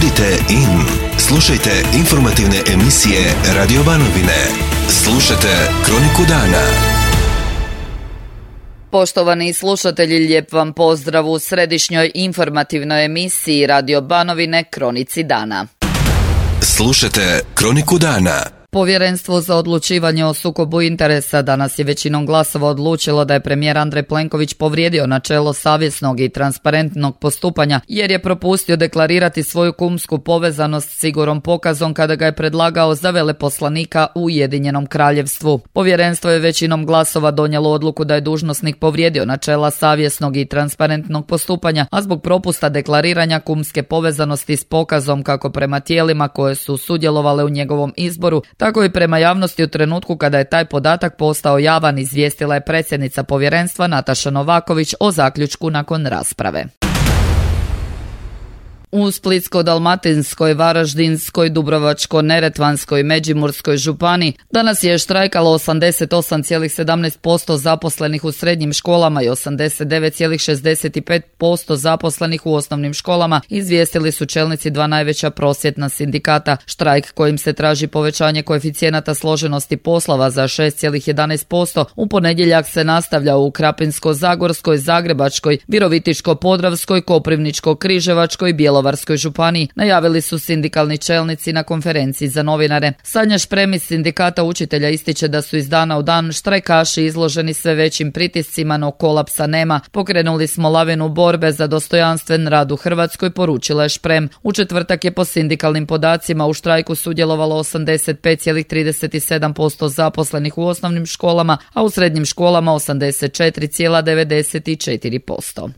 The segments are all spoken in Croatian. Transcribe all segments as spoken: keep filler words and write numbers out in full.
Budite in. Slušajte informativne emisije Radio Banovine. Slušajte Kroniku dana. Poštovani slušatelji, lijep vam pozdrav u središnjoj informativnoj emisiji Radio Banovine Kronici dana. Slušajte Kroniku dana. Povjerenstvo za odlučivanje o sukobu interesa danas je većinom glasova odlučilo da je premijer Andrej Plenković povrijedio načelo savjesnog i transparentnog postupanja jer je propustio deklarirati svoju kumsku povezanost s Igorom Pokazom kada ga je predlagao za veleposlanika u Ujedinjenom Kraljevstvu. Povjerenstvo je većinom glasova donijelo odluku da je dužnosnik povrijedio načela savjesnog i transparentnog postupanja, a zbog propusta deklariranja kumske povezanosti s Pokazom kako prema tijelima koje su sudjelovale u njegovom izboru, tako i prema javnosti u trenutku kada je taj podatak postao javan, izvijestila je predsjednica povjerenstva Nataša Novaković o zaključku nakon rasprave. U Splitsko-dalmatinskoj, Varaždinskoj, Dubrovačko-neretvanskoj i Međimurskoj županiji danas je štrajkalo osamdeset osam zarez sedamnaest posto zaposlenih u srednjim školama i osamdeset devet zarez šezdeset pet posto zaposlenih u osnovnim školama, izvijestili su čelnici dva najveća prosvjetna sindikata. Štrajk kojim se traži povećanje koeficijenata složenosti poslova za šest zarez jedanaest posto u ponedjeljak se nastavlja u Krapinsko-zagorskoj, Zagrebačkoj, Virovitičko-podravskoj, Koprivničko-križevačkoj i Bjelovarskoj županiji, najavili su sindikalni čelnici na konferenciji za novinare. Sanja Šprem iz sindikata učitelja ističe da su iz dana u dan štrajkaši izloženi sve većim pritiscima, no kolapsa nema. Pokrenuli smo lavinu borbe za dostojanstven rad u Hrvatskoj, poručila je Šprem. U četvrtak je po sindikalnim podacima u štrajku sudjelovalo osamdeset pet zarez trideset sedam posto zaposlenih u osnovnim školama, a u srednjim školama osamdeset četiri zarez devedeset četiri posto.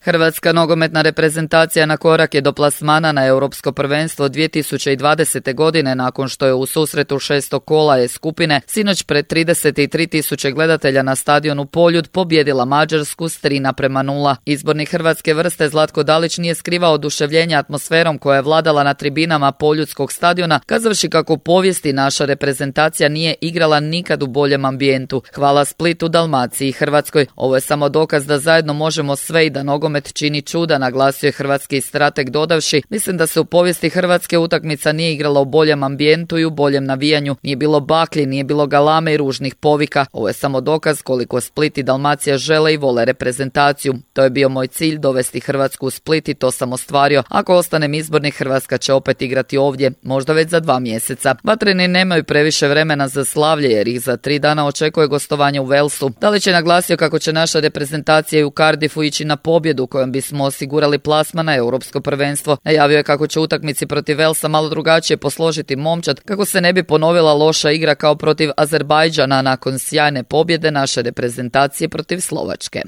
Hrvatska nogometna reprezentacija na korak je do plasmana na Europsko prvenstvo dvije tisuće dvadesete. godine nakon što je u susretu šestog kola E skupine sinoć pred trideset tri tisuće gledatelja na stadionu Poljud pobijedila Mađarsku s tri naprema nula. Izbornik hrvatske vrste Zlatko Dalić nije skrivao oduševljenje atmosferom koja je vladala na tribinama Poljudskog stadiona, kazavši kako u povijesti naša reprezentacija nije igrala nikad u boljem ambijentu. Hvala Splitu, Dalmaciji i Hrvatskoj. Ovo je samo dokaz da zajedno možemo sve i da nogomet čini čuda, naglasio je hrvatski strateg dodavši: mislim da se u povijesti Hrvatske utakmica nije igrala u boljem ambijentu i u boljem navijanju. Nije bilo baklji, nije bilo galame i ružnih povika. Ovo je samo dokaz koliko Split i Dalmacija žele i vole reprezentaciju. To je bio moj cilj, dovesti Hrvatsku u Split i to sam ostvario. Ako ostanem izbornik, Hrvatska će opet igrati ovdje, možda već za dva mjeseca. Vatreni nemaju previše vremena za slavlje jer ih za tri dana očekuje gostovanje u Walesu. Dalić je naglasio kako će naša reprezentacija i u Cardiffu ići na pobjedu kojom bismo osigurali plasman na Europsko prvenstvo. Najavio je kako će utakmici protiv Walesa malo drugačije posložiti momčad kako se ne bi ponovila loša igra kao protiv Azerbajdžana nakon sjajne pobjede naše reprezentacije protiv Slovačke.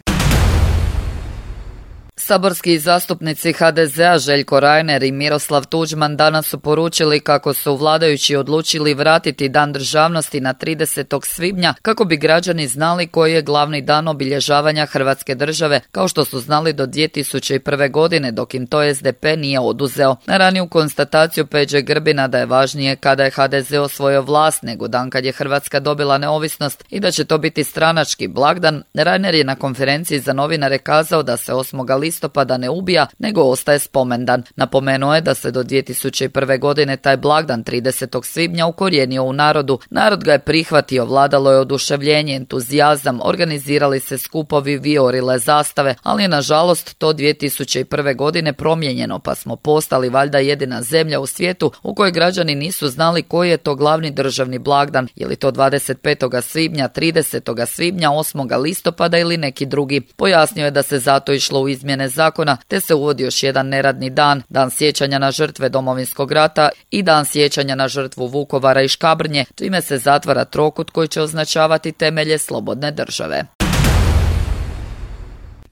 Saborski zastupnici ha de zea Željko Reiner i Miroslav Tuđman danas su poručili kako su vladajući odlučili vratiti Dan državnosti na tridesetog svibnja kako bi građani znali koji je glavni dan obilježavanja Hrvatske države, kao što su znali do dvije tisuće prve. godine, dok im to es de pe nije oduzeo. Na raniju konstataciju Peđe Grbina da je važnije kada je ha de ze osvojio vlast nego dan kad je Hrvatska dobila neovisnost i da će to biti stranački blagdan, Reiner je na konferenciji za novinare kazao da se osmog listopada ne ubija, nego ostaje spomendan. Napomenuo je da se do dvije tisuće prve. godine taj blagdan tridesetog svibnja ukorijenio u narodu. Narod ga je prihvatio, vladalo je oduševljenje, entuzijazam, organizirali se skupovi, vijorile zastave, ali je nažalost to dvije tisuće prve. godine promijenjeno, pa smo postali valjda jedina zemlja u svijetu u kojoj građani nisu znali koji je to glavni državni blagdan, je li to dvadeset petog svibnja, tridesetog svibnja, osmog listopada ili neki drugi. Pojasnio je da se zato išlo u izmjene zakona, te se uvodi još jedan neradni dan, dan sjećanja na žrtve Domovinskog rata i dan sjećanja na žrtvu Vukovara i Škabrnje, čime se zatvara trokut koji će označavati temelje slobodne države.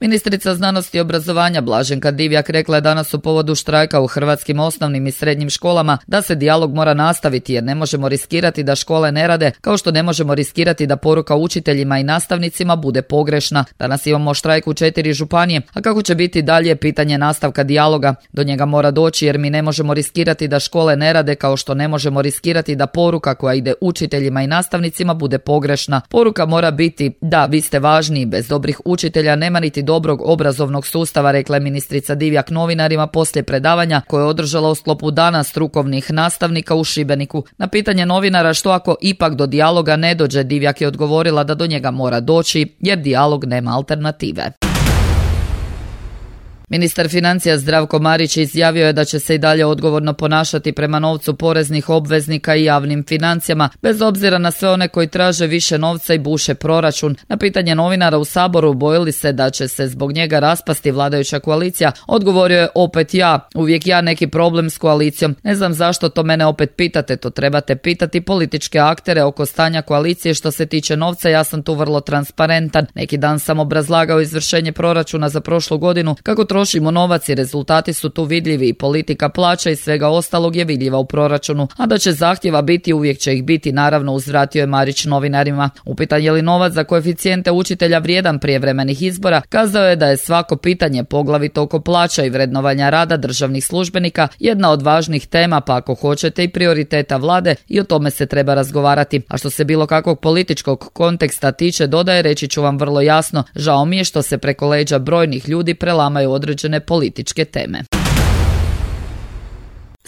Ministrica znanosti i obrazovanja Blaženka Divjak rekla je danas u povodu štrajka u hrvatskim osnovnim i srednjim školama da se dijalog mora nastaviti jer ne možemo riskirati da škole ne rade, kao što ne možemo riskirati da poruka učiteljima i nastavnicima bude pogrešna. Danas imamo štrajk u četiri županije, a kako će biti dalje pitanje nastavka dijaloga. Do njega mora doći jer mi ne možemo riskirati da škole ne rade, kao što ne možemo riskirati da poruka koja ide učiteljima i nastavnicima bude pogrešna. Poruka mora biti da vi ste važni, bez dobrih učitelja nema niti dobrog obrazovnog sustava, rekla je ministrica Divjak novinarima poslije predavanja koje je održala u sklopu Dana strukovnih nastavnika u Šibeniku. Na pitanje novinara što ako ipak do dijaloga ne dođe, Divjak je odgovorila da do njega mora doći jer dijalog nema alternative. Ministar financija Zdravko Marić izjavio je da će se i dalje odgovorno ponašati prema novcu poreznih obveznika i javnim financijama, bez obzira na sve one koji traže više novca i buše proračun. Na pitanje novinara u Saboru bojili se da će se zbog njega raspasti vladajuća koalicija, odgovorio je opet ja. Uvijek ja neki problem s koalicijom. Ne znam zašto to mene opet pitate, to trebate pitati političke aktere oko stanja koalicije. Što se tiče novca, ja sam tu vrlo transparentan. Neki dan sam obrazlagao izvršenje proračuna za prošlu godinu, kako trošimo novac i rezultati su tu vidljivi i politika plaća i svega ostalog je vidljiva u proračunu, a da će zahtjeva biti, uvijek će ih biti, naravno, uzvratio je Marić novinarima. Upitan je li novac za koeficijente učitelja vrijedan prijevremenih izbora, kazao je da je svako pitanje, poglavito oko plaća i vrednovanja rada državnih službenika, jedna od važnih tema, pa ako hoćete i prioriteta vlade, i o tome se treba razgovarati. A što se bilo kakvog političkog konteksta tiče, dodaje, reći ću vam vrlo jasno, žao mi je što se preko leđa brojnih ljudi prelamaju određene političke teme.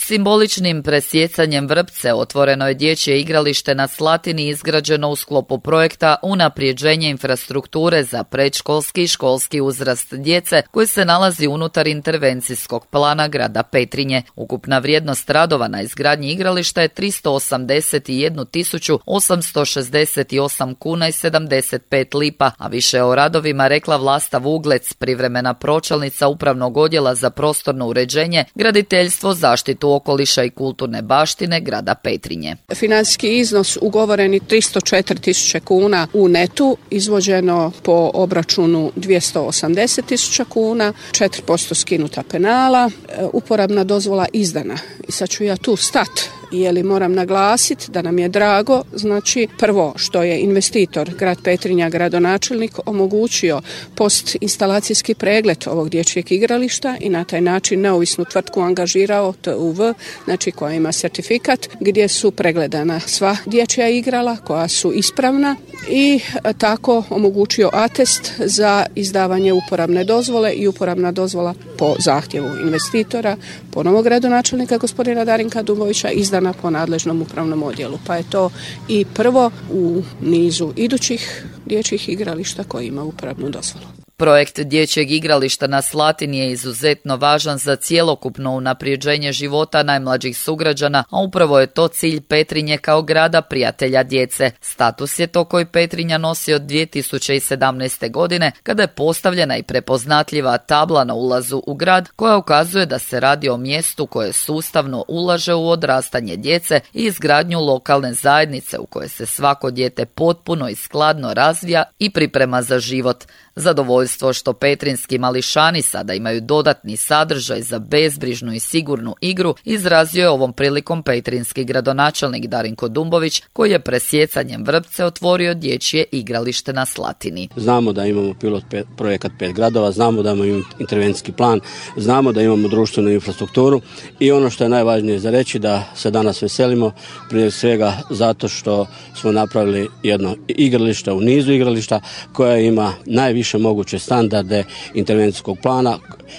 Simboličnim presjecanjem vrpce otvoreno je dječje igralište na Slatini izgrađeno u sklopu projekta Unaprijeđenje infrastrukture za predškolski i školski uzrast djece koji se nalazi unutar intervencijskog plana grada Petrinje. Ukupna vrijednost radova na izgradnji igrališta je tristo osamdeset jednu tisuću osamsto šezdeset osam kuna i sedamdeset pet lipa, a više o radovima rekla Vlasta Vuglec, privremena pročelnica Upravnog odjela za prostorno uređenje, graditeljstvo, zaštitu okoliša i kulturne baštine grada Petrinje. Financijski iznos ugovoreni tristo četiri tisuće kuna u netu, izvođeno po obračunu dvjesto osamdeset tisuća kuna, četiri posto skinuta penala, uporabna dozvola izdana. I sad ću ja tu stati. Jeli moram naglasiti da nam je drago, znači prvo što je investitor grad Petrinja, gradonačelnik, omogućio postinstalacijski pregled ovog dječjeg igrališta i na taj način neovisnu tvrtku angažirao T U V, znači koja ima certifikat gdje su pregledana sva dječja igrala koja su ispravna i tako omogućio atest za izdavanje uporabne dozvole i uporabna dozvola po zahtjevu investitora, ponovo gradonačelnika gospodina Darinka Dubovića, izdana po nadležnom upravnom odjelu. Pa je to i prvo u nizu idućih dječjih igrališta koji ima uporabnu dozvolu. Projekt dječjeg igrališta na Slatini je izuzetno važan za cjelokupno unaprijeđenje života najmlađih sugrađana, a upravo je to cilj Petrinje kao grada prijatelja djece. Status je to koji Petrinja nosi od dvije tisuće sedamnaeste. godine, kada je postavljena i prepoznatljiva tabla na ulazu u grad koja ukazuje da se radi o mjestu koje sustavno ulaže u odrastanje djece i izgradnju lokalne zajednice u kojoj se svako dijete potpuno i skladno razvija i priprema za život. Zadovoljstvo što petrinski mališani sada imaju dodatni sadržaj za bezbrižnu i sigurnu igru izrazio je ovom prilikom petrinski gradonačelnik Darinko Dumbović, koji je presjecanjem vrpce otvorio dječje igralište na Slatini. Znamo da imamo pilot pet, projekat pet gradova, znamo da imamo intervencijski plan, znamo da imamo društvenu infrastrukturu i ono što je najvažnije za reći da se danas veselimo prije svega zato što smo napravili jedno igralište u nizu igrališta koje ima najviše moguće standarde intervencijskog plana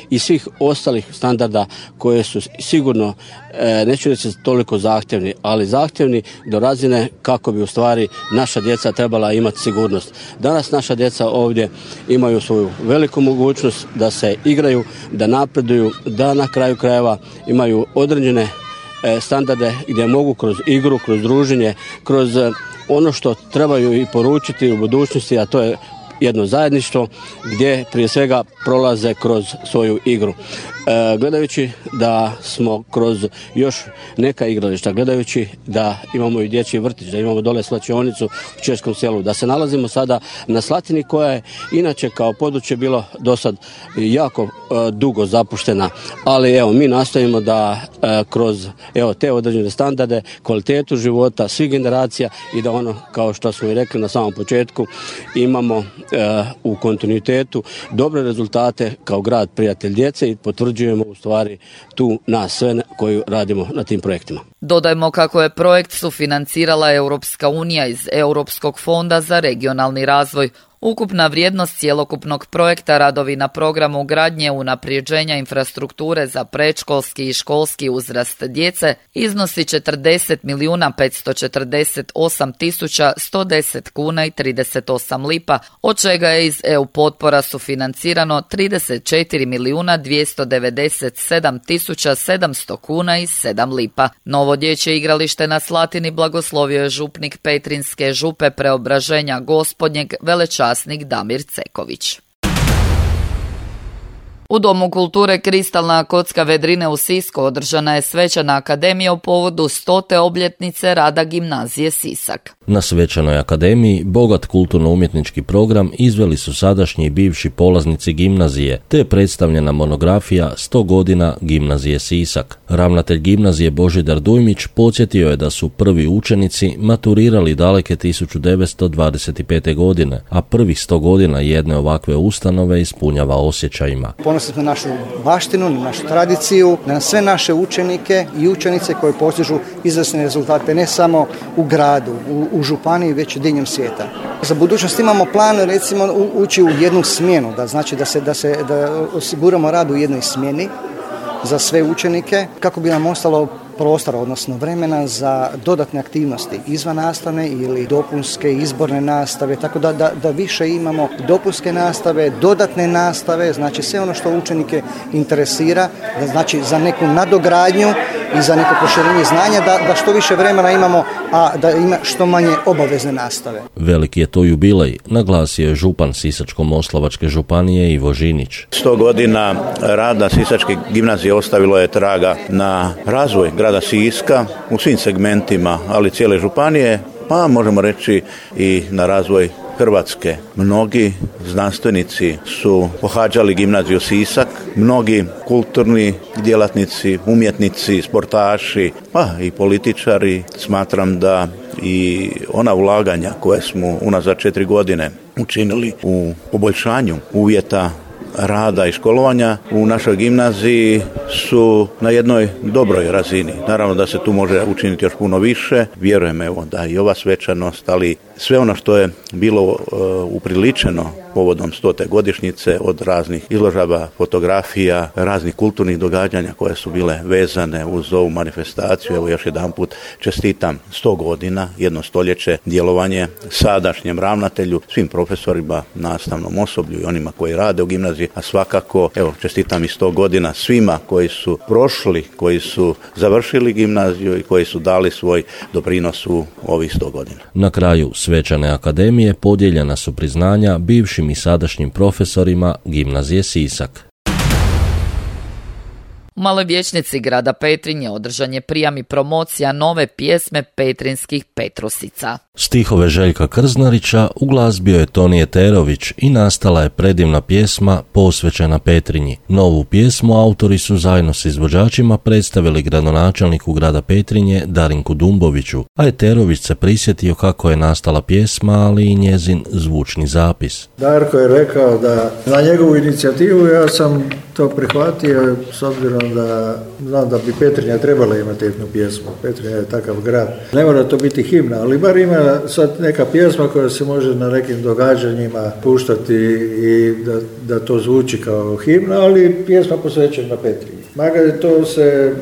i svih ostalih standarda koje su sigurno, neću reći toliko zahtjevni, ali zahtjevni do razine kako bi u stvari naša djeca trebala imati sigurnost. Danas naša djeca ovdje imaju svoju veliku mogućnost da se igraju, da napreduju, da na kraju krajeva imaju određene standarde gdje mogu kroz igru, kroz druženje, kroz ono što trebaju i poručiti u budućnosti, a to je jedno zajedništvo gdje prije svega prolaze kroz svoju igru. E, gledajući da smo kroz još neka igrališta, gledajući da imamo i dječji vrtić, da imamo dole slačionicu u Českom selu, da se nalazimo sada na Slatini koja je inače kao područje bilo do sad jako e, dugo zapuštena, ali evo mi nastojimo da e, kroz evo te određene standarde, kvalitetu života svih generacija i da ono kao što smo i rekli na samom početku imamo e, u kontinuitetu dobre rezultate kao grad prijatelj djece i potvrđujemo u stvari tu nas sve koji radimo na tim projektima. Dodajmo kako je projekt sufinancirala Europska unija iz Europskog fonda za regionalni razvoj. Ukupna vrijednost cjelokupnog projekta radovi na programu gradnje unaprijeđenja infrastrukture za predškolski i školski uzrast djece iznosi četrdeset milijuna petsto četrdeset osam tisuća sto deset kuna i trideset osam lipa, od čega je iz E U potpora sufinancirano trideset četiri milijuna dvjesto devedeset sedam tisuća sedamsto kuna i sedam lipa. Novo dječje igralište na Slatini blagoslovio je župnik Petrinjske župe Preobraženja Gospodnjeg velečasnik Damir Ceković. U Domu kulture Kristalna kocka Vedrine u Sisku održana je svečana akademija u povodu stote obljetnice rada gimnazije Sisak. Na svečanoj akademiji bogat kulturno-umjetnički program izveli su sadašnji i bivši polaznici gimnazije, te je predstavljena monografija sto godina gimnazije Sisak. Ravnatelj gimnazije Božidar Dujmić podsjetio je da su prvi učenici maturirali daleke tisuću devetsto dvadeset pete. godine, a prvih sto godina jedne ovakve ustanove ispunjava osjećajima. Ponosni smo na našu baštinu, na našu tradiciju, na sve naše učenike i učenice koji postižu izvrsne rezultate ne samo u gradu, u, u županiji, već i diljem svijeta. Za budućnost imamo plan, recimo, ući u jednu smjenu, da znači da se da se da osiguramo rad u jednoj smjeni za sve učenike kako bi nam ostalo prostora, odnosno vremena za dodatne aktivnosti izvan nastavne ili dopunske izborne nastave, tako da, da, da više imamo dopunske nastave, dodatne nastave, znači sve ono što učenike interesira, da znači za neku nadogradnju i za neko proširenje znanja, da, da što više vremena imamo, a da ima što manje obavezne nastave. Veliki je to jubilej, naglasio je župan Sisačko-moslavačke županije Ivo Žinić. Sto godina rada Sisačke gimnazije ostavilo je traga na razvoj grada Siska u svim segmentima, ali cijele županije, pa možemo reći i na razvoj Hrvatske. Mnogi znanstvenici su pohađali gimnaziju Sisak, mnogi kulturni djelatnici, umjetnici, sportaši, pa i političari. Smatram da i ona ulaganja koje smo unazad četiri godine učinili u poboljšanju uvjeta rada i školovanja u našoj gimnaziji su na jednoj dobroj razini. Naravno da se tu može učiniti još puno više. Vjerujem evo da i ova svečanost, ali sve ono što je bilo uh, upriličeno povodom stote godišnjice od raznih izložaba, fotografija, raznih kulturnih događanja koje su bile vezane uz ovu manifestaciju. Evo još jedanput čestitam sto godina, jedno stoljeće djelovanje sadašnjem ravnatelju, svim profesorima, nastavnom osoblju i onima koji rade u gimnaziji, a svakako evo čestitam i sto godina svima koji su prošli, koji su završili gimnaziju i koji su dali svoj doprinos u ovih sto godina. Na kraju svečane akademije podijeljena su priznanja bivšim i sadašnjim profesorima gimnazije Sisak. U Maloj vijećnici grada Petrinje održan je prijam i promocija nove pjesme petrinskih Petrusica. Stihove Željka Krznarića uglazbio je Toni Eterović i nastala je predivna pjesma posvećena Petrinji. Novu pjesmu autori su zajedno s izvođačima predstavili gradonačelniku grada Petrinje Darinku Dumboviću, a Eterović se prisjetio kako je nastala pjesma, ali i njezin zvučni zapis. Darko je rekao da na njegovu inicijativu ja sam to prihvatio s obzirom da znam da bi Petrinja trebala imati jednu pjesmu. Petrinja je takav grad. Ne mora to biti himna, ali bar ima sad neka pjesma koja se može na nekim događanjima puštati i da, da to zvuči kao himna, ali pjesma posvećena Petrinji. Maga to se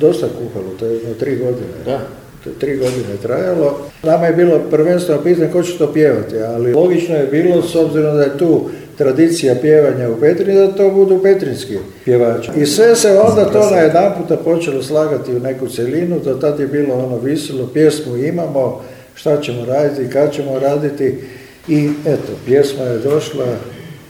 dosta kuhalo, to je jedno tri godine. Da. To je tri godine trajalo. Nama je bilo prvenstveno pitanje ko će to pjevati, ali logično je bilo s obzirom da je tu tradicija pjevanja u Petrinji, da to budu petrinski pjevači. I sve se onda to na jedan puta počelo slagati u neku celinu, do tad je bilo ono visilo, pjesmu imamo, šta ćemo raditi, kad ćemo raditi i eto, pjesma je došla,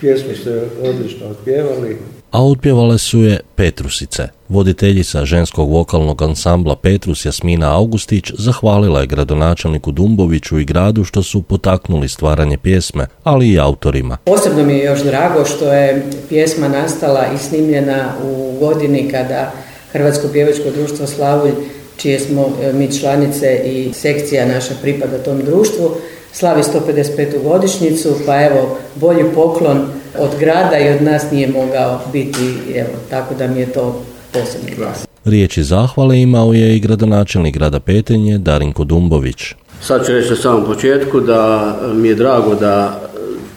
pjesmu ste odlično otpjevali. A otpjevale su je Petrusice. Voditeljica ženskog vokalnog ansambla Petrus Jasmina Augustić zahvalila je gradonačelniku Dumboviću i gradu što su potaknuli stvaranje pjesme, ali i autorima. Posebno mi je još drago što je pjesma nastala i snimljena u godini kada Hrvatsko pjevačko društvo Slavulj, čije smo mi članice i sekcija naša pripada tom društvu, slavi sto pedeset petu godišnjicu, pa evo, bolji poklon od grada i od nas nije mogao biti, evo, tako da mi je to posebno glas. Riječi zahvale imao je i gradonačelnik grada Petrinje Darinko Dumbović. Sad ću reći na samom početku da mi je drago da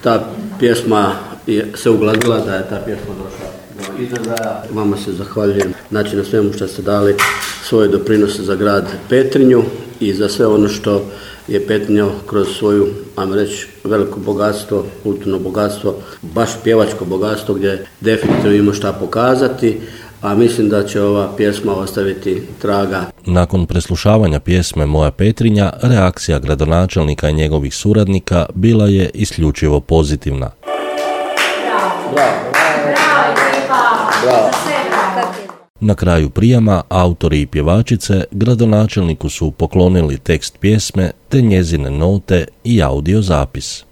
ta pjesma je se uglazila, da je ta pjesma došla do izražaja. Vama se zahvaljujem, znači, na svemu što ste dali svoje doprinose za grad Petrinju i za sve ono što je Petrinja kroz svoju, ajmo reći, veliko bogatstvo, kulturno bogatstvo, baš pjevačko bogatstvo gdje definitivno ima šta pokazati, a mislim da će ova pjesma ostaviti traga. Nakon preslušavanja pjesme Moja Petrinja, reakcija gradonačelnika i njegovih suradnika bila je isključivo pozitivna. Bravo, bravo, bravo, bravo. Na kraju prijama autori i pjevačice gradonačelniku su poklonili tekst pjesme te njezine note i audio zapis.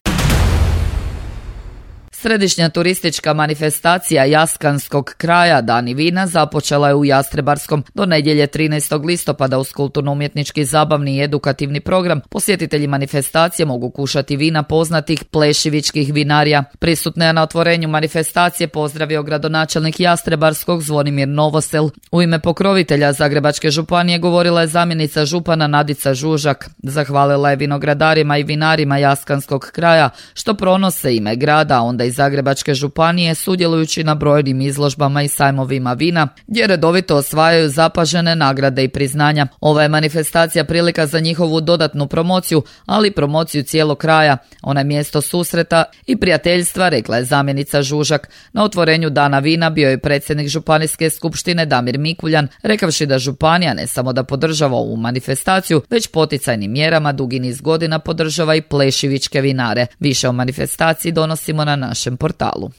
Središnja turistička manifestacija Jaskanskog kraja Dani vina započela je u Jastrebarskom do nedjelje trinaestog listopada uz kulturno-umjetnički zabavni i edukativni program. Posjetitelji manifestacije mogu kušati vina poznatih plešivičkih vinarija. Prisutne je na otvorenju manifestacije pozdravio gradonačelnik Jastrebarskog Zvonimir Novosel. U ime pokrovitelja Zagrebačke županije govorila je zamjenica župana Nadica Žužak. Zahvalila je vinogradarima i vinarima Jaskanskog kraja što pronose ime grada, onda iz Zagrebačke županije sudjelujući na brojnim izložbama i sajmovima vina, gdje redovito osvajaju zapažene nagrade i priznanja. Ova je manifestacija prilika za njihovu dodatnu promociju, ali i promociju cijelog kraja. Ona je mjesto susreta i prijateljstva, rekla je zamjenica Žužak. Na otvorenju Dana vina bio je predsjednik Županijske skupštine Damir Mikuljan, rekavši da županija ne samo da podržava ovu manifestaciju, već poticajnim mjerama dugi niz godina podržava i plešivičke vinare. Više o manifestaciji donosimo na našem portalu.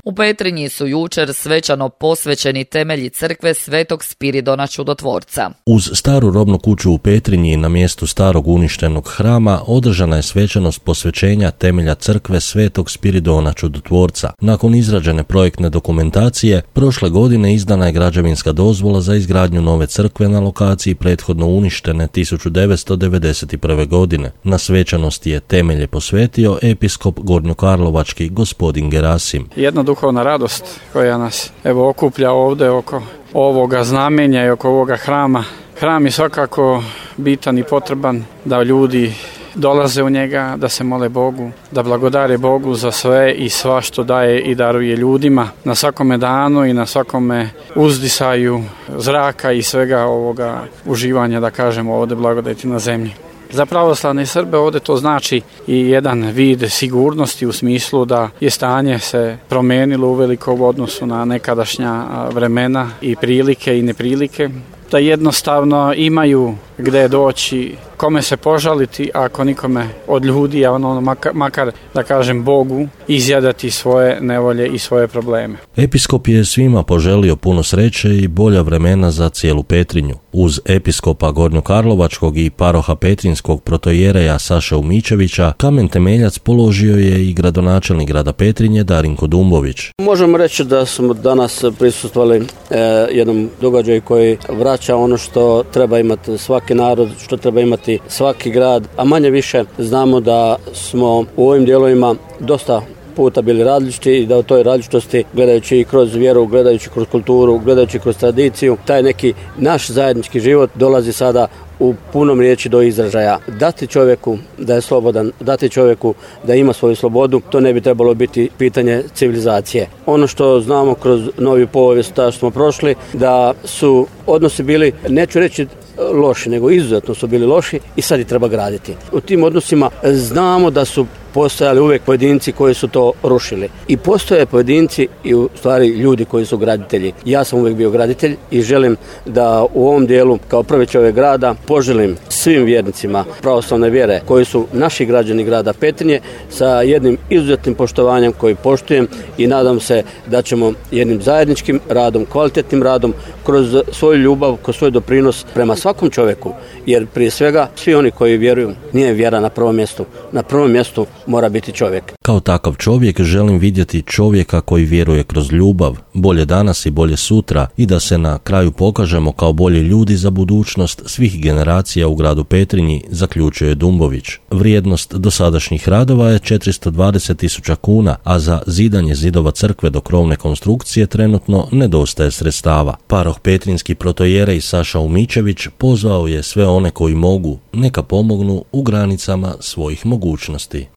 U Petrinji su jučer svečano posvećeni temelji crkve Svetog Spiridona Čudotvorca. Uz staru robnu kuću u Petrinji na mjestu starog uništenog hrama održana je svečanost posvećenja temelja crkve Svetog Spiridona Čudotvorca. Nakon izrađene projektne dokumentacije, prošle godine izdana je građevinska dozvola za izgradnju nove crkve na lokaciji prethodno uništene tisuću devetsto devedeset prve. godine. Na svečanosti je temelje posvetio episkop Gornjokarlovački gospodin Gerasim. Jedna duhovna radost koja nas evo okuplja ovdje oko ovoga znamenja i oko ovoga hrama. Hram je svakako bitan i potreban da ljudi dolaze u njega, da se mole Bogu, da blagodare Bogu za sve i sva što daje i daruje ljudima na svakome danu i na svakome uzdisaju zraka i svega ovoga uživanja, da kažemo, ovdje blagodati na zemlji. Za pravoslavne Srbe ovdje to znači i jedan vid sigurnosti u smislu da je stanje se promijenilo uveliko u odnosu na nekadašnja vremena i prilike i neprilike, da jednostavno imaju gdje doći, kome se požaliti, ako nikome od ljudi, a ono makar, makar da kažem Bogu, izjadati svoje nevolje i svoje probleme. Episkop je svima poželio puno sreće i bolja vremena za cijelu Petrinju. Uz episkopa Gornjokarlovačkog i paroha petrinskog protojereja Saše Umičevića, kamen temeljac položio je i gradonačelnik grada Petrinje Darinko Dumbović. Možemo reći da smo danas prisustvovali e, jednom događaju koji vraća ono što treba imati svaki narod, što treba imati svaki grad, a manje više znamo da smo u ovim dijelovima dosta puta bili različiti i da u toj različitosti, gledajući i kroz vjeru, gledajući kroz kulturu, gledajući kroz tradiciju, taj neki naš zajednički život dolazi sada u punom riječi do izražaja. Dati čovjeku da je slobodan, dati čovjeku da ima svoju slobodu, to ne bi trebalo biti pitanje civilizacije. Ono što znamo kroz novi povijest, što smo prošli, da su odnosi bili, neću reći loši, nego izuzetno su bili loši i sad ih treba graditi. U tim odnosima znamo da su postojali uvijek pojedinci koji su to rušili. I postoje pojedinci i u stvari ljudi koji su graditelji. Ja sam uvijek bio graditelj i želim da u ovom dijelu kao prvi čovjek grada poželim svim vjernicima pravoslavne vjere koji su naši građani grada Petrinje sa jednim izuzetnim poštovanjem koji poštujem i nadam se da ćemo jednim zajedničkim radom, kvalitetnim radom kroz svoju ljubav, kroz svoj doprinos prema svakom čovjeku, jer prije svega svi oni koji vjeruju, nije vjera na prvom mjestu. Na prvom mjestu mora biti čovjek. Kao takav čovjek želim vidjeti čovjeka koji vjeruje kroz ljubav, bolje danas i bolje sutra i da se na kraju pokažemo kao bolji ljudi za budućnost svih generacija u gradu Petrinji, zaključuje Dumbović. Vrijednost dosadašnjih radova je četiristo dvadeset tisuća kuna, a za zidanje zidova crkve do krovne konstrukcije trenutno nedostaje sredstava. Paroh petrinski protojerej Saša Umičević pozvao je sve one koji mogu, neka pomognu u granicama svojih mogućnosti.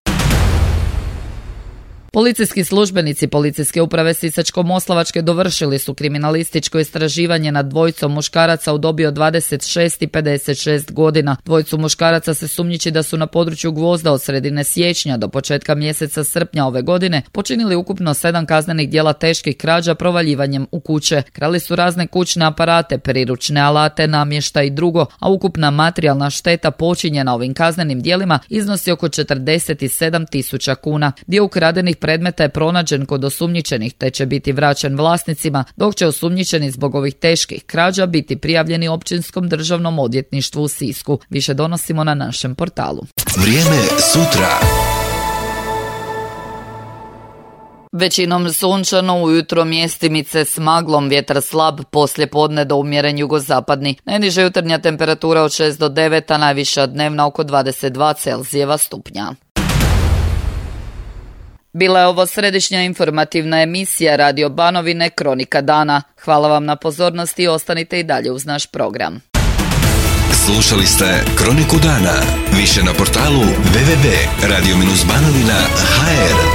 Policijski službenici Policijske uprave Sisačko-moslavačke dovršili su kriminalističko istraživanje nad dvojicom muškaraca u dobi od dvadeset šest i pedeset šest godina. Dvojicu muškaraca se sumnjiči da su na području Gvozda od sredine siječnja do početka mjeseca srpnja ove godine počinili ukupno sedam kaznenih djela teških krađa provaljivanjem u kuće. Krali su razne kućne aparate, priručne alate, namještaj i drugo, a ukupna materijalna šteta počinjena ovim kaznenim djelima iznosi oko četrdeset sedam tisuća kuna. Dio ukradenih predmeta je pronađen kod osumnjičenih te će biti vraćen vlasnicima, dok će osumnjičeni zbog ovih teških krađa biti prijavljeni Općinskom državnom odvjetništvu u Sisku. Više donosimo na našem portalu. Vrijeme sutra. Većinom sunčano, ujutro mjestimice s maglom, vjetar slab, poslije podne do umjeren jugozapadni. Najniža jutarnja temperatura od šest do devet, a najviša dnevna oko dvadeset dva Celzijeva stupnja. Bila je ovo središnja informativna emisija Radio Banovine Kronika dana. Hvala vam na pozornosti i ostanite i dalje uz naš program. Slušali ste Kroniku dana. Više na portalu w w w tačka radio banovina tačka h r.